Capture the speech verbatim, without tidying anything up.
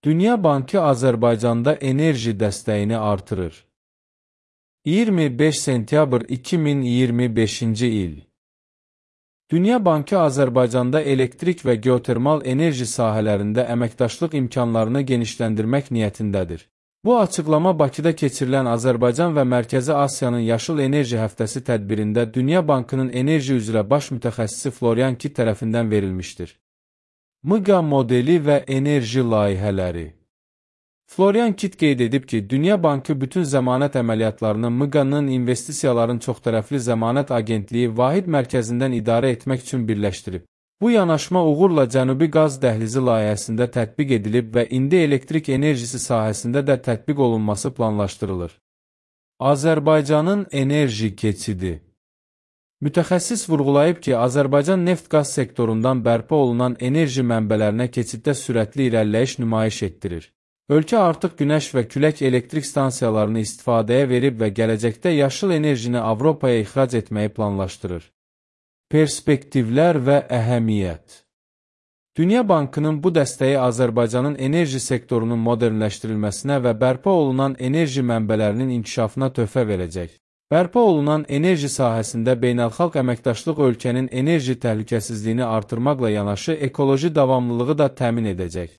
Dünya Bankı Azərbaycanda enerji dəstəyini artırır. iyirmi beş sentyabr iki min iyirmi beşinci il. Dünya Bankı Azərbaycanda elektrik və geotermal enerji sahələrində əməkdaşlıq imkanlarını genişləndirmək niyyətindədir. Bu açıqlama Bakıda keçirilən Azərbaycan və Mərkəzi Asiyanın Yaşıl Enerji Həftəsi tədbirində Dünya Bankının enerji üzrə baş mütəxəssisi Florian Kitt tərəfindən verilmişdir. M Q A modeli və enerji layihələri. Florian Kitt qeyd edib ki, Dünya Bankı bütün zəmanət əməliyyatlarını M Q A-nın investisiyaların çoxtərəfli zəmanət agentliyi vahid mərkəzindən idarə etmək üçün birləşdirib. Bu yanaşma uğurla Cənubi Qaz Dəhlizi layihəsində tətbiq edilib və indi elektrik enerjisi sahəsində də tətbiq olunması planlaşdırılır. Azərbaycanın enerji keçidi. Mütəxəssis vurğulayıb ki, Azərbaycan neft-qaz sektorundan bərpa olunan enerji mənbələrinə keçiddə sürətli irəliləyiş nümayiş etdirir. Ölkə artıq günəş və külək elektrik stansiyalarını istifadəyə verib və gələcəkdə yaşıl enerjini Avropaya ixrac etməyi planlaşdırır. Perspektivlər və əhəmiyyət. Dünya Bankının bu dəstəyi Azərbaycanın enerji sektorunun modernləşdirilməsinə və bərpa olunan enerji mənbələrinin inkişafına töhfə verəcək. Bərpa olunan enerji sahəsində beynəlxalq əməkdaşlıq ölkənin enerji təhlükəsizliyini artırmaqla yanaşı ekoloji davamlılığı da təmin edəcək.